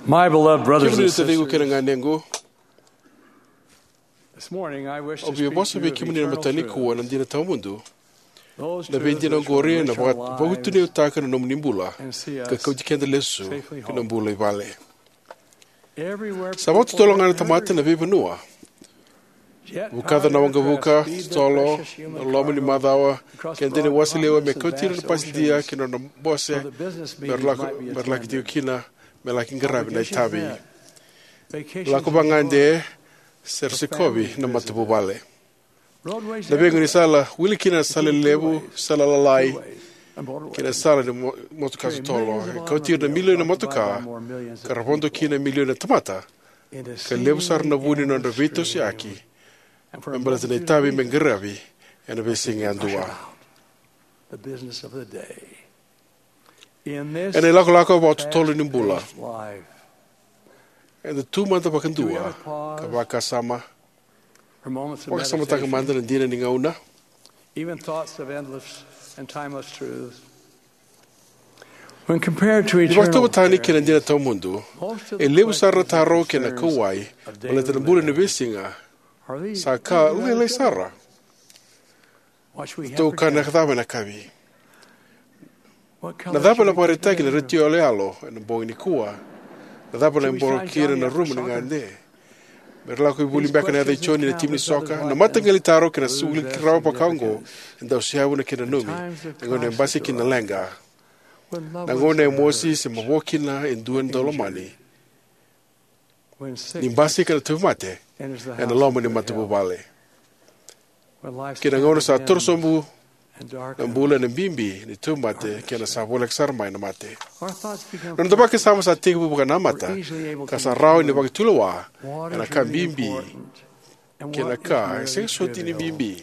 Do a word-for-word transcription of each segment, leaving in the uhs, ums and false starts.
My beloved brothers Kemuni and na taciqu kei na sisters, ganequ, this morning I wish au to via speak vosa to vei you of kemuni na eternal mataka truth. Nikua na dina tawamudu. Those Na truths veidina which will oqori na enrich our vaka- lives vakatuniyautaka na nomuni bula and see ka us kauti keda lesu safely ki na home. Bula i vale. Everywhere Sa people vakatotolo ga na are tamata na hurting. Veivanua. Yet Vukaca na power waqavuka, aircraft speed their totolo, precious human na loma ni cargo macawa, across keda ni broad wasa lewa me continents and kauti ira na vast pasidia oceans ki na nona bose, so that business me ra meetings lako, might be me ra laki tiko attended. Kina, me laki qaravi na Vacations itavi. Met, vacations Lako abroad, vagade, se ra for sikovi family na visits. Matavuvale. Roadways Na veiqo ni everywhere. Sala, wili kina na sala Between lelevu, freeways, sala lalai, thruways, and motorways. Kei na sala ni mo- motoka totolo. Trillions of E kauti ira na automobiles milioni na occupy motoka, by more millions of ka ra vodo people. Kina na milioni na tamata, It is ka levu sara na seemingly vu ni nodra endless veitosiyaki, stream. And for a me baleta na moment itavi me qaravi ena veisiga yadua. The business of the day. In this Ena ilakolako vakatotolo ni bula, fast-paced life, eda tu mada vakadua, we ought to pause ka vakasama, for moments of vakasamataka meditation, mada na dina ni gauna. Even thoughts of endless and timeless truth. When compared to Ni eternal vakatauvatani kei na dina tawamudu, most of the e levu sara na questions and taro kei na concerns kauwai, of daily baleta na bula ni living veisiga, are these sa ka very lailai simple. Sara. What should we have Tou for kana dinner? Cava ena yakavi? What Na color cava should ena we vakaraitaki na paint the room? Retio yaloyalo ena bogi nikua? Na cava ena boro kina na rumu ni gade? Me ra lako i vuli beka na yaca i Joni na timi ni soka. Na mataqali taro kei na suli rawa vaka oqo e dau seavu na kena nanumi. E gauna e basika kina na leqa. Na gauna e mosi se mavoa kina e dua na daulomani. Ni basika na tauvimate ena loma ni matavuvale. Kei na gauna sa torosobu na bula ena bibi ni tauvimate kei na sa voleka sara mai na mate. Na noda vakasama sa tekivu vakanamata ka sa rawa ni vakatulewa ena ka bibi kei na ka e sega soti ni bibi.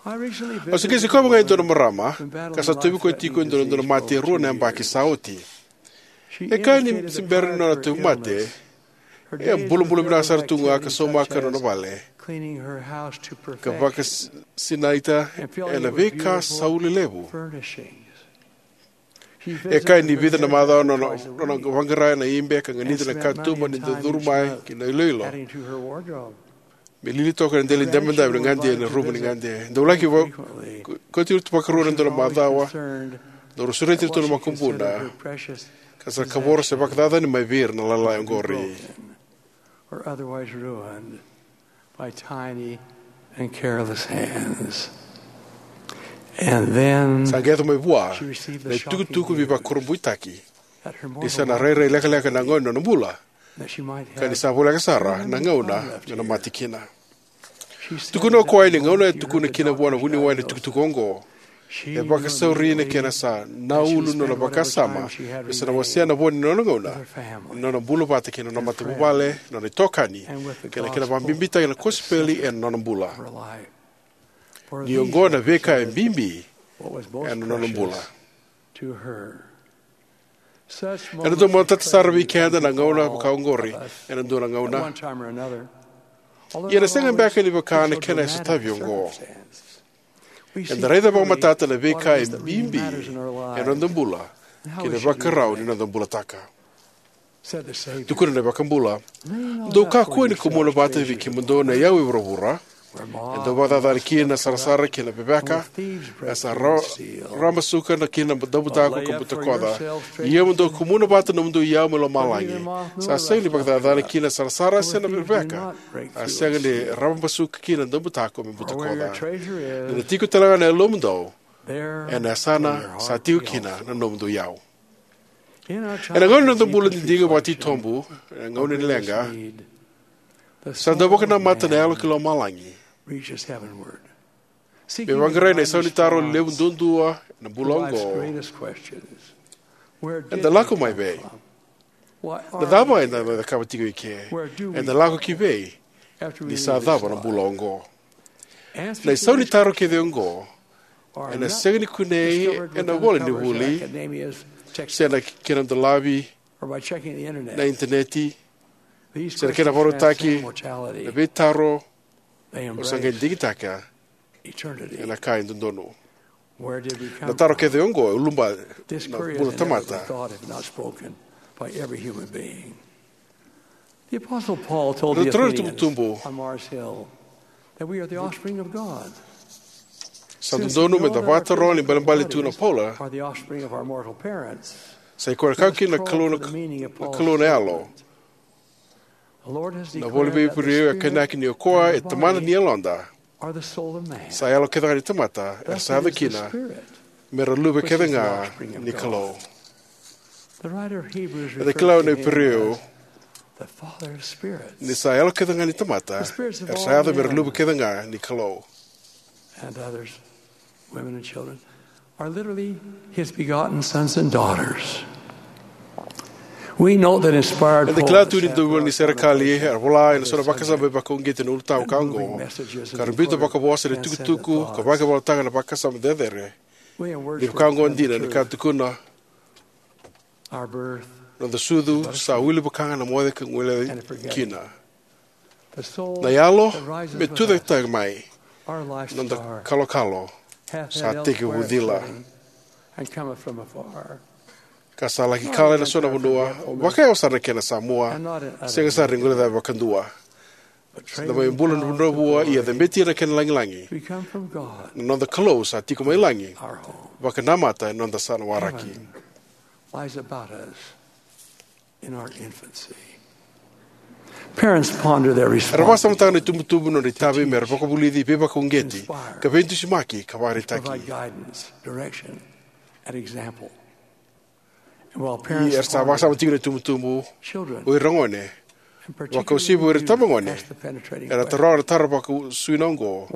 Au se qai sikova ga e dua na marama ka sa tauvi koya tiko e dua na dua na mate e rua na yabaki sa oti. E kaya ni se bera ni nona tauvimate, e a bulabula vinaka sara tu ga ka saumaka na nona vale ka vakasinaita ena veika sau lelevu. E kaya ni vica na macawa na nona vaqara na ibe ka ganita na katuba ni dau curu mai ki na iloilo. Me lili toka na dela ni dabedabe ni gade ena rumu ni gade. Dau laki va- ko- kauti ira tu vakarua ena dua na macawa. Dau ra sureti ira tu na makubuna. Ka sa kavoro se vakacacani mai vei ira na lalai oqori. Or otherwise ruined by tiny and careless hands. And then Sa qai yaco mai vua na itukutuku veivakurabuitaki. Ni sa na rairai lekaleka na gauna ni nona bula. Ka ni sa voleka sara na gauna me na mate kina. Tukuna o koya ni gauna e tukuna kina vua na vuniwai na tukutuku oqo, e vakasauri na kena sa na ulu nona vakasama me sa na wasea na vo ni nona gauna ni nona bula vata kei na nona matavuvale, nona itokani, kei na kena vakabibitaki na kosipeli ena nona bula. Ni oqo na veika e bibi ena nona bula. Ena dau matata sara vei keda na gauna vaka oqori ena dua na gauna. Ia na sega beka ni vaka na kena e sotavi oqo. Eda raica vakamatata na veika e bibi ena noda bula kei na vakarau ni noda bulataka. Tukuna na iVakabula, dou kakua ni kumuna vata vei kemudou na iyau e vuravura, e dau vakacacana kina na sarasara kei na veveka, e sa ra- rabasuka na kina na daubutako ka butakoca. Ia mo dou kumuna vata na nomudou iyau mai lomalagi, sa sega ni vakacacana kina na sarasara se na veveka, a sega ni rabasuka kina na daubutako me butakoca. Ni na tiko talega na yalomudou, ena yasana sa tiko kina na nomudou iyau. Ena gauna ni noda bula didigo vakatitobu, ena gauna ni leqa, sa dau vakanamata na yalo ki lomalagi me vaqarai na isau ni taro levu duadua ena bula oqo. Eda lako mai vei? Na cava eda na cakava tiko eke? Eda lako ki vei ni sa cava na bula oqo? Na isau ni taro kece oqo ena sega ni kunei ena vola ni vuli, se na kena dolavi na initaneti, se na kena vakarautaki na veitaro o sa qai digitaka ena ka e dodonu. Na taro kece oqo e uluba na bula tamata. by every human being. The Apostle Paul told the Athenians on Mars Hill that we are the offspring of God. Sa dodonu me da vakataroga ni balebale tu na Paula. Are the offspring of our mortal parents. Sa i koya na kau kina na Kalou na Kalou na yalo. Na voli vei Iperiu e kainaki ni o koya e tamana ni yaloda. Sa yalo kece ga ni tamata era sa yaco kina me ra luve kece ga ni Kalou. E da kila na Iperiu ni sa yalo kece ga ni tamata era sa yaco me ra luve kece ga ni Kalou. And others, women and children, are literally his begotten sons and daughters. We know that inspired Eda kila tu ni dau ni serekali era vola ena so na vakasama vakauqeti na ulutaga ka oqo, ka ra biuta vakavosa na tukutuku ka vakavolataga na vakasama cecere. Ni vaka oqo dina ni ka tukuna, noda sucu sa wili vakaga na moce ka guileca kina. Na yalo me tucake mai, noda kalokalo sa tekivu cila. Ka sa laki kala ena so na vanua vakayawa sara na kena sa mua, sega sara ni guilecavi vakadua. Sa da mai bula dravudravua ia cabeti ena kena lagilagi. Na noda Kalou sa tiko mai lagi, vakanamata ena noda sa na waraki. Era vakasamataka na itubutubu na nodra itavi me ra vakavulici, veivakauqeti, ka veidusimaki ka vakaraitaki. Ia era sa vakasama tiko na itubutubu, o ira gone, vakauasivi o ira tabagone, era taroga na taro vakasuina oqo: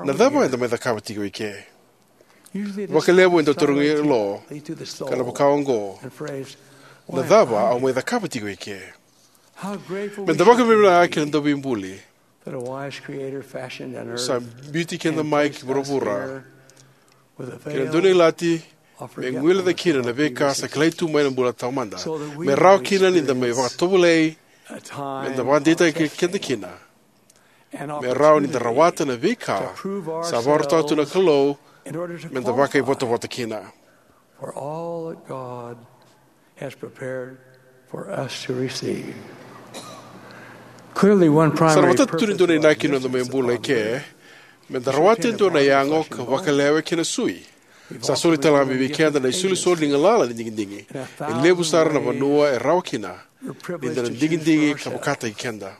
Na cava eda mai cakava tiko eke? Vakalevu e dau tarogi lo ka na vaka oqo: Na cava au mai cakava tiko eke? Me da vakavinavinaka ki na Dauveibuli sa biuti keda mai ki vuravura kei na dua na ilati me guileca kina na veika sa kilai tu mai na bula taumada, me rawa kina ni da mai vakatovolei, me da vakadeitaki keda kina, me rawa ni da rawata na veika sa vakarautaka tu na Kalou me da vakaivotavota kina. For all that God has prepared for us to receive. Clearly, one primary Sa na matata tu ni dua na inaki ni noda mai bula eke me da rawata e dua na yago ka vakalewe kei na sui. Sa soli tale ga mai vei keda na isolisoli ni galala ni digidigi. E levu sara na vanua e rawa kina ni da na digidigi ka vakataki keda.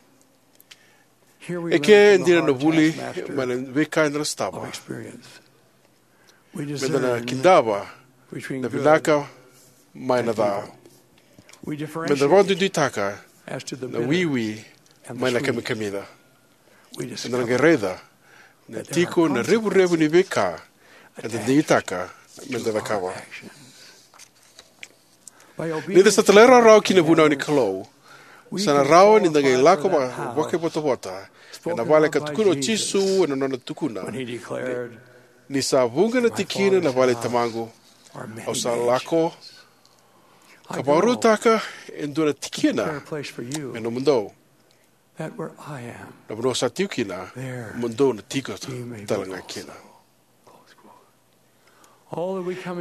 Eke e dina na vuli mai na veika eda na sotava. Me da na kidava na vinaka mai na ca. Me da vakaduiduitaka na wiwi mai na kamikamica. Me da na qai raica na tiko na revurevu ni veika eda digitaka me da cakava. Ni da sa talairawarawa ki na vunau ni Kalou, sa na rawa ni da qai lako va- vakaivotavota ena vale ka tukuna o Jisu ena nona tukuna: Ni sa vuqa na tikina na vale i Tamaqu, au sa lako ka vakarautaka e dua na tikina me nomudou. Na vanua sa tiko kina, mo dou na tiko tale ga kina.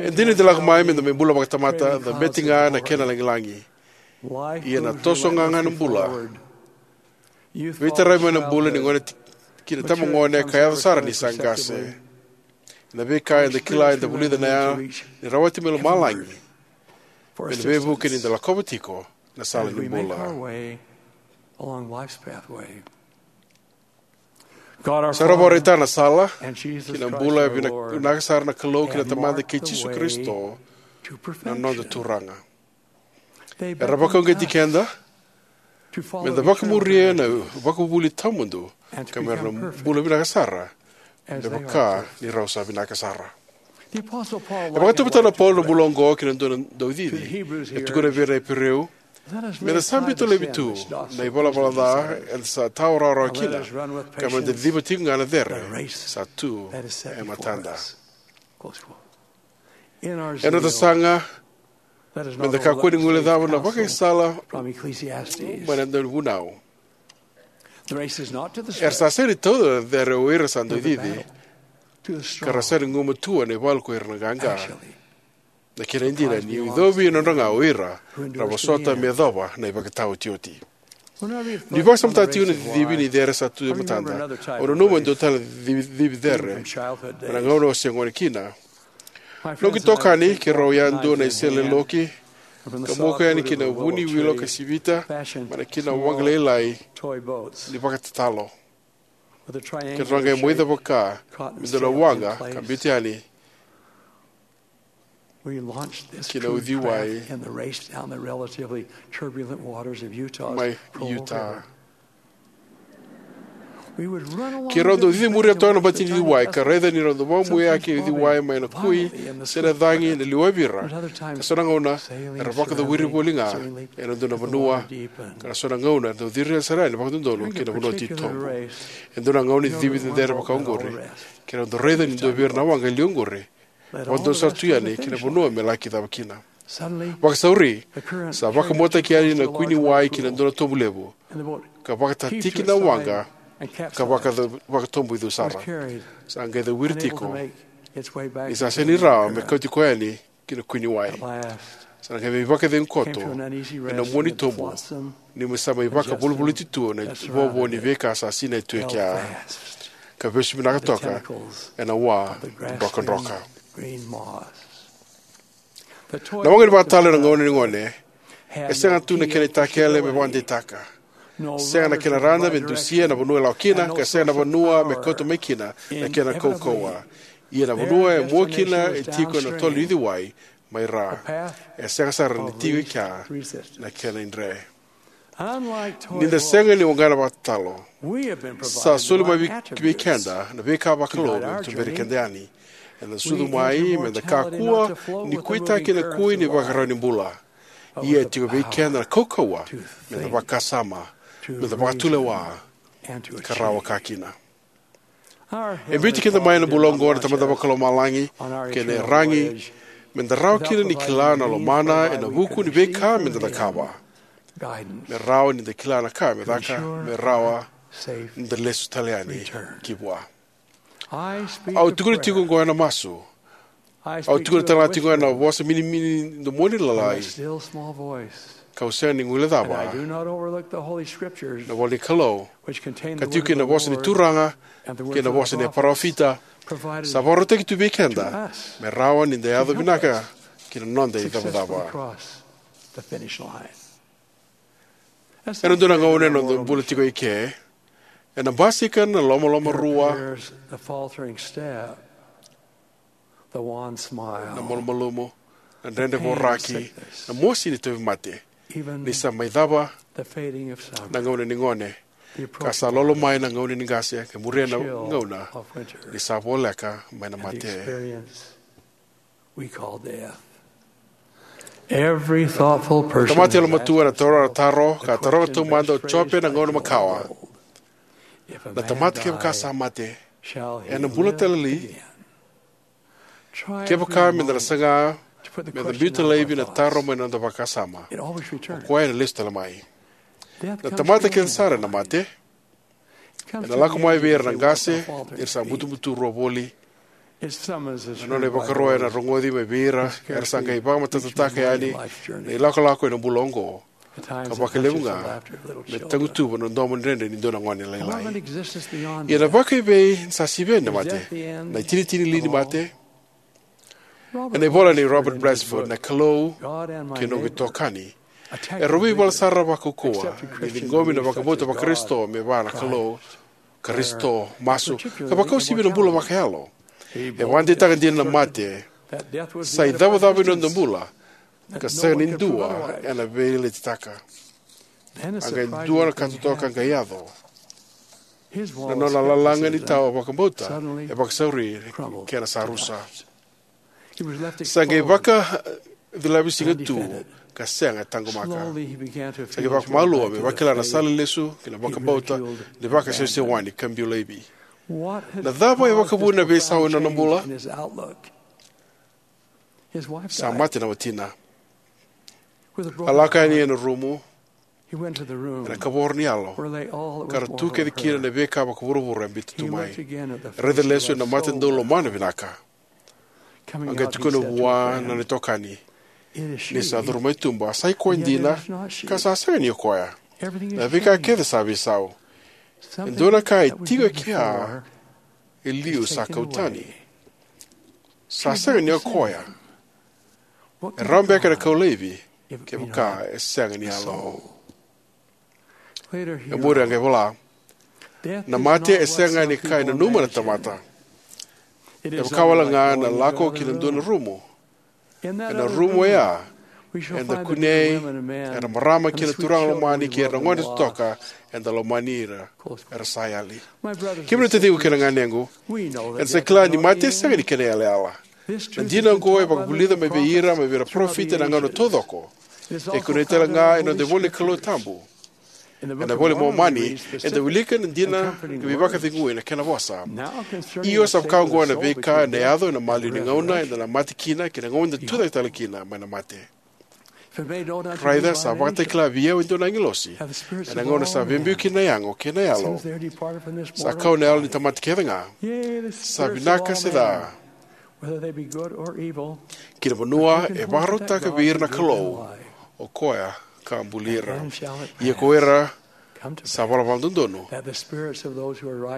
E dina ni da lako mai me da mai bula vakatamata, cabeti ga na kena lagilagi. Ia na toso ga ga na bula. Veitaravi mai na bula ni gone ki na tamagone ka yaco sara ni sa qase. Na veika eda kila eda vulica na yago ni rawati mai lomalagi me na veivuke ni da lakova tiko na sala ni bula. Sa ra vakaraitaka na sala ki na bula e vina- vinaka sara na Kalou kei na Tamada kei Jisu Karisito na noda Turaga. Era vakauqeti keda me da vakamuria na vakavuvuli tawamudu ka me ra na bula vinaka sara me vaka ni rau sa vinaka sara. E vakatauvatana o Paula na bula oqo ki na dua na daucici. E tukuna vei ira na Iperiu: Me da sa biuta laivi tu na ivalavala ca eda sa tawa rawarawa kina, ka me da ciciva tiko ga na cere sa tu e matada. Ena noda saga, me da kakua ni guilecava na vakaisala mai na daunivunau. Era sa sega ni tauca na cere o ira sa daucici, ka ra sega ni gumatua na ivalu ko ira na qaqa. Na kena e dina, ni icovi e nodra ga o ira ra vosota me yacova na ivakataotioti. Ni vakasamataka tiko na cicivi ni cere sa tu e matada, au nanuma e dua tale na cicivi cere mai na gauna au se gone kina. Noqu itokani keirau yadua na isele loki ka moku yani ki na vu ni wilo ka sivita mai na kena waqa lailai ni vakatatalo. Keirau qai moica vaka me dua na waqa ka biuta yani ki na uciwai mai Utah. Keirau dau cici muria toka na bati ni uciwai ka raica ni rau dau vakamuiyaki e uciwai mai na kui se na cagi na liwavi ira. Ka so na gauna era vakacawiri voli ga ena dua na vanua, ka na so na gauna era dau ciri sara yani vakadodonu ki na vanua titobu. E dua na gauna ni cicivi cecere vakaoqori, keirau dau raica ni dua vei ira na waqa e liu oqori vakadodonu sara tu yani ki na vanua me laki cava kina. Vakasauri, sa vakamuataki yani na kui ni wai ki na dua na tobu levu ka vakatatiki na waqa ka vaka- vakatobu icu sara. Sa qai cawiri tiko ni sa sega ni rawa me kauti koya yani ki na kui ni wai. Sa na qai veivakacegu koto ena mua ni tobu ni sa mai vakavolivoliti tu na ivovo ni veika sa sinai tu e kea ka vesu vinaka toka ena wa drokadroka. Na waqa ni vakatatalo ena gauna ni gone e sega tu na kena itakele me vakadeitaka. Sega na kena rada me dusia na vanua e lako kina, ka sega na vanua me kauta mai kina na kena kaukauwa. Ia na vanua e mua kina e tiko ena tolo ni uciwai mai ra. E sega sara ni tiko e kea na kena idre. Ni da sega ni waqa ni vakatatalo, sa soli mai vei, vei keda na veika vakalou me tuberi keda yani. Eda sucu mai me da kakua ni kuitaki na kui ni vakarau ni bula. Ia e tiko vei keda na kaukauwa me da vakasama, me da vakatulewa, ka rawa ka kina. E biuti keda mai na bula oqo na Tamada Vakalomalagi kei na iyaragi me da rawa kina ni kila na lomana ena vuku ni veika me da cakava, me rawa ni da kila na ka me caka me rawa ni da lesu tale yani ki vua. Au tukuna tiko oqo ena masu. Au tukuna tale ga tiko ena vosa minimini, domoni lalai, kau sega ni guilecava na ivola ni Kalou, ka tiko kina na vosa ni Turaga kei na vosa ni parofita, sa vakarautaki tu vei keda me rawa ni da yaco vinaka ki na noda icavacava. Ena dua na gauna ena noda bula tiko eke, ena basika na lomalomarua, na malumalumu, na dredre voraki, na mosi ni tauvimate. Ni sa mai cava na gauna ni gone, ka sa lolo mai na gauna ni qase, ka muria na gauna ni sa voleka mai na mate. Na tamata yalomatua ena taroga na taro ka taroga taumada o Jope na gauna makawa: Na tamata kevaka sa mate, ena bula tale li? Kevaka meda na saga meda biuta laivi na taro mai na noda vakasama, o koya ena lesu tale mai. Na tamata kece sara ena mate. Ena lako mai vei ira na qase ni ra sa butubutu rua voli. Na nona ivakaro ena rogoci mai vei ira era sa qai vakamatatataka yani na ilakolako ena bula oqo, ka vakalevu ga me tagutuva na domo dredre ni dua na gone lailai. Ia na vakaevei sa sivi yani na mate, na itinitini li ni mate? Ena ivola nei Robert Blatchford, Na Kalou kei Noqu iTokani, erau veivala sara vakaukauwa ni ciqomi na vakabauta Vakarisito me vaka na Kalou, Karisito, masu, ka vakauasivi na bula vakayalo. E vakadeitaka dina na mate sa icavacava ni noda bula, ka sega ni dua ena veiletitaka. A qai dua na ka totoka qai yaco. Na nona lalaga ni tawa vakabauta e vakasauri kei na sa rusa. Sa qai vakacilavi siga tu ka sega e taqomaka. Sa qai vakamalua me vakila na sala lesu ki na vakabauta ni vakasewasewani ka biu laivi. Na cava e vakavuna na veisau ena nona bula? Sa mate na watina. A lako yani ena rumu ena kavoro ni yalo, ka ra tu kece kina na veika vakavuravura e biuta tu mai. Raica lesu ena mata dau lomana vinaka. A qai tukuna vua na nona itokani, ni sa curu mai tuba, sa i koya dina, ka sa sega ni o koya. Na veika kece sa veisau. E dua na ka e tiko e kea e liu sa kau tani. Sa sega ni o koya. E rawa beka na kau laivi kevaka e sega ni yalo. E muri a qai vola, na mate e sega ni ka e nanuma na tamata. E vaka wale ga na lako ki na dua na rumu. Ena rumu oya eda kunei era marama kei na turaga lomani kei ira na gone totoka, eda lomani ira era sa yali. Kemuni na taciqu kei na ganequ, eda sa kila ni mate e sega ni kena yalayala. Na dina oqo e vakavulica mai vei ira mai vei ira parofita ena gauna taucoko. E kunei tale ga ena noda ivola ni Kalou tabu. Ena ivola i Momani eda wilika na dina ka veivakacegui ena kena vosa. Io, sa vaka oqo na veika ena yaco ena maliwa ni gauna eda na mate kina kei na gauna eda tucake tale kina mai na mate. Raica sa vakatakila vei au e dua na agilosi ena gauna sa veibiu kina na yago kei na yalo. Sa kau na yalo ni tamata kece ga, sa vinaka se ca, ki na vanua e vakarautaka vei ira na Kalou, o koya ka buli ira. Ia ko ira sa valavala dodonu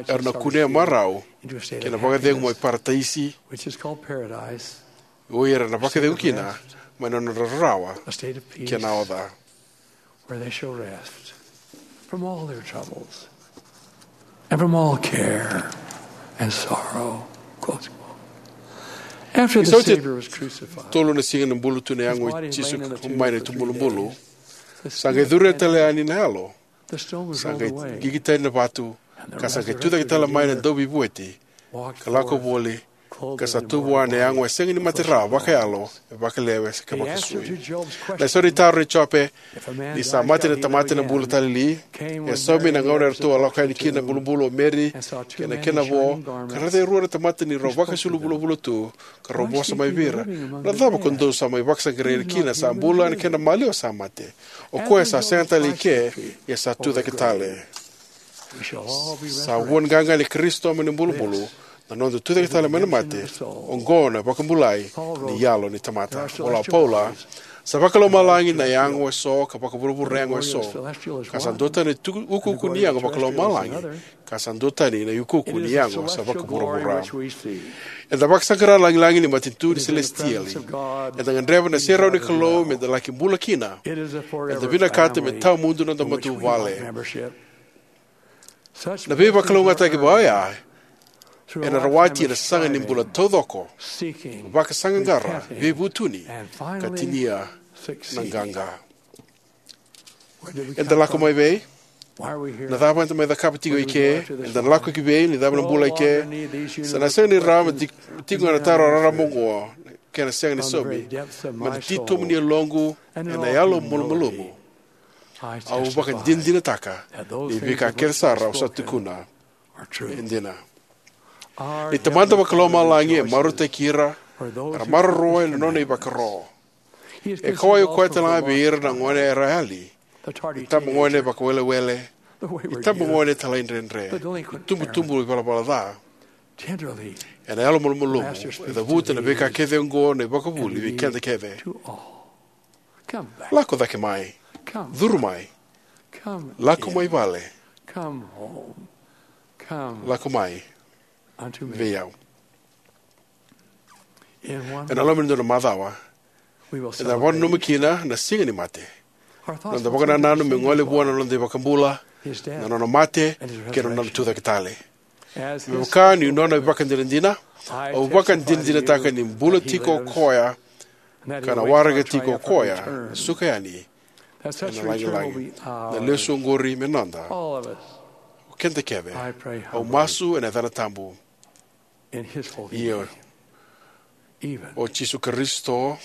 era na kunea marau ki na vakacegu mai Parataisi, o ira na vakacegu kina mai na nodra rarawa kei na oca. Ni sa oti tolu na siga ni bulu tu na yago i Jisu mai na itubulubulu, sa qai curu tale yani na yalo. Sa qai qiqi tani na vatu, ka sa qai tucake tale mai na dauveivueti, ka lako voli, ka sa tu vua na yago e sega ni mate rawa vakayalo, e vakalewe ka vakasui. Na isau ni taro nei Jope, ni sa mate na tamata ena bula tale li, e saumi na gauna eratou a lako yani kina na bulubulu o Meri kei na kena vo, ka raica e rua na tamata ni rau vakaisulu vulavula tu, ka rau vosa mai vei ira, na cava ko dou sa mai vakasaqarai kina sa bula ena kena maliwa sa mate? O koya sa sega tale i ke, ia sa tucake tale. Sa vuani qaqa ni Karisito mai na bulubulu, na noda tucake tale mai na mate. Oqo na vakabulai ni yalo ni tamata. Vola o Paula, sa vakalomalagi na yago eso ka vakavuravura na yago eso, ka sa duatani na tu- ukuuku ni yago vakalomalagi, ka sa duatani na ukuuku ni yago sa vakavuravura. Eda vakasaqara na lagilagi ni matanitu ni selesitieli. Eda gadreva na serau ni Kalou meda laki bula kina. Eda vinakata me tawamudu na noda matavuvale. Na veivakalougatataki vaka oya ena rawati ena sasaga ni bula taucoko, vakasaqaqara, veivutuni, ka tinia na qaqa. Eda lako mai vei? Na cava eda mai cakava tiko i ke? Eda na lako ki vei? Na cava na bula i ke? Sa na sega ni rawa me tiko ga na taro raraba oqo, kena sega ni saumi. Meda titobu ni yaloqu ena yalo malumalumu. Au vakadinadinataka ni veika kece sara au sa tukuna e dina. Ni Tamada Vakalomalagi e marautaki ira era maroroya na nona ivakaro. E kauwai koya tale ga vei ira na gone era yali, itabagone vakawelewele, itabagone talaidredre, itubutubu ivalavala ca. Ena yalo malumalumu e cavuta na veika kece oqo na ivakavuvuli vei keda kece. Lako cake mai. Curu mai. Lako mai vale. Lako mai vei au. Ena loma ni dua na macawa eda na vakananuma kina na siga ni mate. Noda vakanananu me gole vua na noda iVakabula, na nona mate kei na nona tucake tale. Me vaka ni nona ivakadinadina, au vakadinadinataka ni bula tiko o koya, ka na waraka tiko o koya na suka yani ena lagilagi. Na lesu oqori me noda, o keda kece. Au masu ena yacana tabu, io, o Jisu Karisito,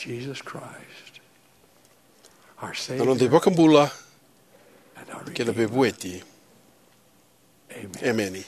na noda iVakabula kei na Veivueti. Emeni.